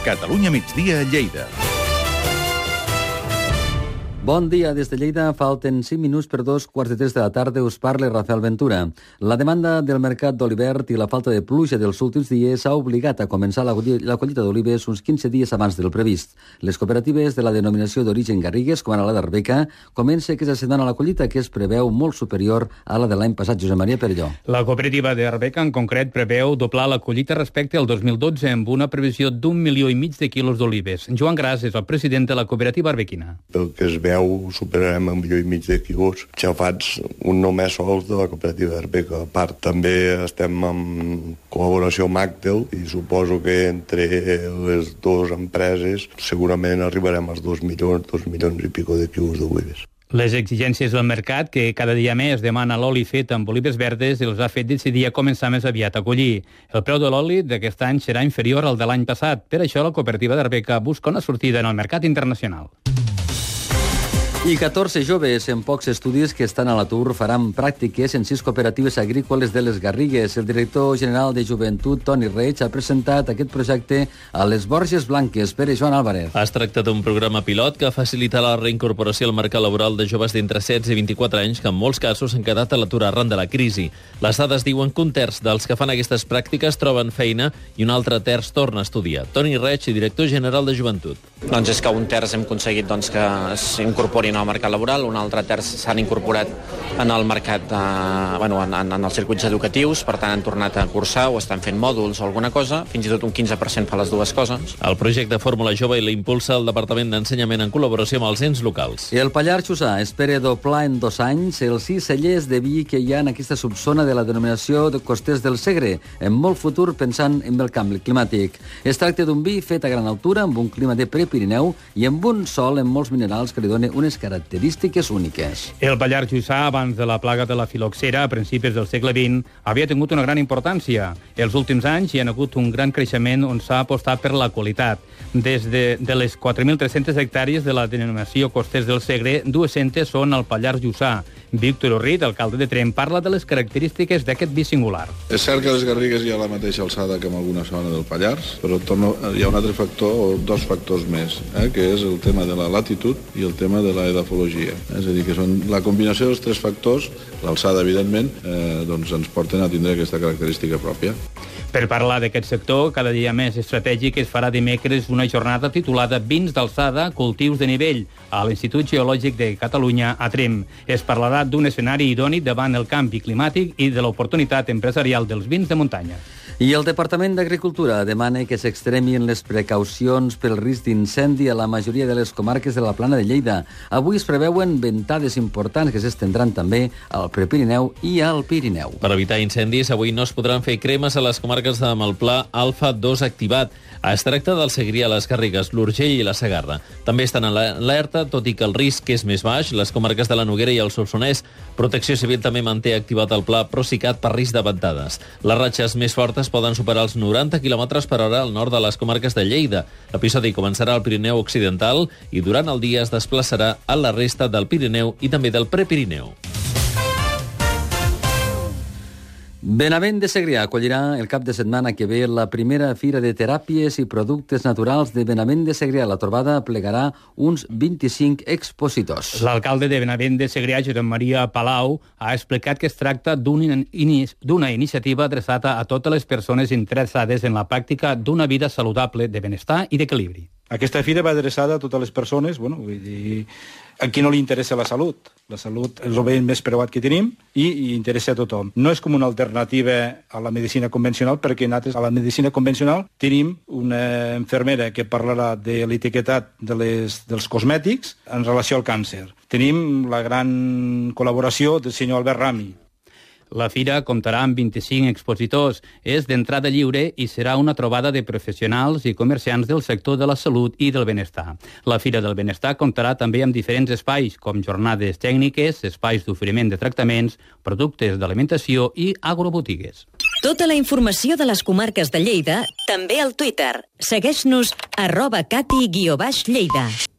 Catalunya migdia a Lleida. Bon dia des de Lleida. Falten 5 minuts per 2:45 de la tarda. Us parla Rafael Ventura. La demanda del mercat d'Olivert i la falta de pluja dels últims dies ha obligat a començar la collita d'olives uns 15 dies abans del previst. Les cooperatives de la denominació d'origen Garrigues, com ara la d'Arbeca, comença aquesta setmana la collita, que es preveu molt superior a la de l'any passat. Josep Maria Perelló. La cooperativa d'Arbeca, en concret, preveu doblar la collita respecte al 2012 amb una previsió d'1,5 milió de quilos d'olives. Joan Gras és el president de la cooperativa arbequina. Pel que es veu, superarem 1,5 milió de quilos xafats un només sols de la cooperativa d'Arbeca. A part, també estem en col·laboració amb Actel i suposo que entre les dues empreses segurament arribarem als 2 milions i pico de quilos d'olives. Les exigències del mercat, que cada dia més demana l'oli fet amb olives verdes, els ha fet decidir a començar més aviat a collir. El preu de l'oli d'aquest any serà inferior al de l'any passat. Per això, la cooperativa d'Arbeca busca una sortida en el mercat internacional. I 14 joves en pocs estudis que estan a l'atur faran pràctiques en 6 cooperatives agrícoles de les Garrigues. El director general de Joventut, Toni Reig, ha presentat aquest projecte a les Borges Blanques. Pere Joan Álvarez. Es tracta d'un programa pilot que facilita la reincorporació al mercat laboral de joves d'entre 16 i 24 anys que en molts casos han quedat a l'atur arran de la crisi. Les dades diuen que un terç dels que fan aquestes pràctiques troben feina i un altre terç torna a estudiar. Toni Reig, director general de Joventut. Doncs és que un terç hem aconseguit que s'incorporin al mercat laboral, un altre terç s'han incorporat en el mercat, en els circuits educatius, per tant han tornat a cursar o estan fent mòduls o alguna cosa, fins i tot un 15% fa les dues coses. El projecte Fórmula Jove l'impulsa el Departament d'Ensenyament en col·laboració amb els ens locals. El Pallars Jussà espera doblar en 2 anys els 6 cellers de vi que hi ha en aquesta subzona de la denominació de Costers del Segre, en molt futur pensant en el canvi climàtic. Es tracta d'un vi fet a gran altura, amb un clima de prepirineu i amb un sòl amb molts minerals que li donen unes característiques úniques. El Pallars Jussà, abans de la plaga de la filoxera, a principis del segle XX, havia tingut una gran importància. Els últims anys hi ha hagut un gran creixement on s'ha apostat per la qualitat. Des de les 4.300 hectàrees de la denominació Costers del Segre, 200 són al Pallars Jussà. Víctor Orrit, alcalde de Tremp, parla de les característiques d'aquest vi singular. És cert que les Garrigues hi ha la mateixa alçada que en alguna zona del Pallars, però hi ha un altre factor, o 2 factors més, que és el tema de la latitud i el tema de la edafologia. És a dir, que són la combinació dels 3 factors, l'alçada, evidentment, doncs ens porten a tindre aquesta característica pròpia. Per parlar d'aquest sector, cada dia més estratègic, es farà dimecres una jornada titulada Vins d'alçada, cultius de nivell, a l'Institut Geològic de Catalunya, a Tremp. Es parlarà d'un escenari idoni davant el canvi climàtic i de l'oportunitat empresarial dels vins de muntanya. I el Departament d'Agricultura demana que s'extremin les precaucions pel risc d'incendi a la majoria de les comarques de la Plana de Lleida. Avui es preveuen ventades importants que s'estendran també al Prepirineu i al Pirineu. Per evitar incendis, avui no es podran fer cremes a les comarques de Malplà Alfa 2 activat. Es tracta del Segrià, les Garrigues, l'Urgell i la Segarra. També estan en alerta, tot i que el risc és més baix, les comarques de la Noguera i el Solsonès. Protecció Civil també manté activat el pla Procicat per risc de ventades. Les ratxes més fortes poden superar els 90 km per hora al nord de les comarques de Lleida. L'episodi començarà al Pirineu Occidental i durant el dia es desplaçarà a la resta del Pirineu i també del Prepirineu. Benavent de Segrià acollirà el cap de setmana que ve la primera fira de teràpies i productes naturals de Benavent de Segrià. La trobada plegarà uns 25 expositors. L'alcalde de Benavent de Segrià, Josep Maria Palau, ha explicat que es tracta d'una iniciativa adreçada a totes les persones interessades en la pràctica d'una vida saludable, de benestar i d'equilibri. Aquesta fira va adreçada a totes les persones, vull dir, a qui no li interessa la salut. La salut és el bé més preuat que tenim i interessa a tothom. No és com una alternativa a la medicina convencional, perquè nosaltres a la medicina convencional tenim una infermera que parlarà de l'etiquetat dels cosmètics en relació al càncer. Tenim la gran col·laboració del senyor Albert Rami. La fira comptarà amb 25 expositors, és d'entrada lliure i serà una trobada de professionals i comerciants del sector de la salut i del benestar. La Fira del Benestar comptarà també amb diferents espais, com jornades tècniques, espais d'oferiment de tractaments, productes d'alimentació i agrobotigues. Tota la informació de les comarques de Lleida, també al Twitter. Segueix-nos @cati_lleida.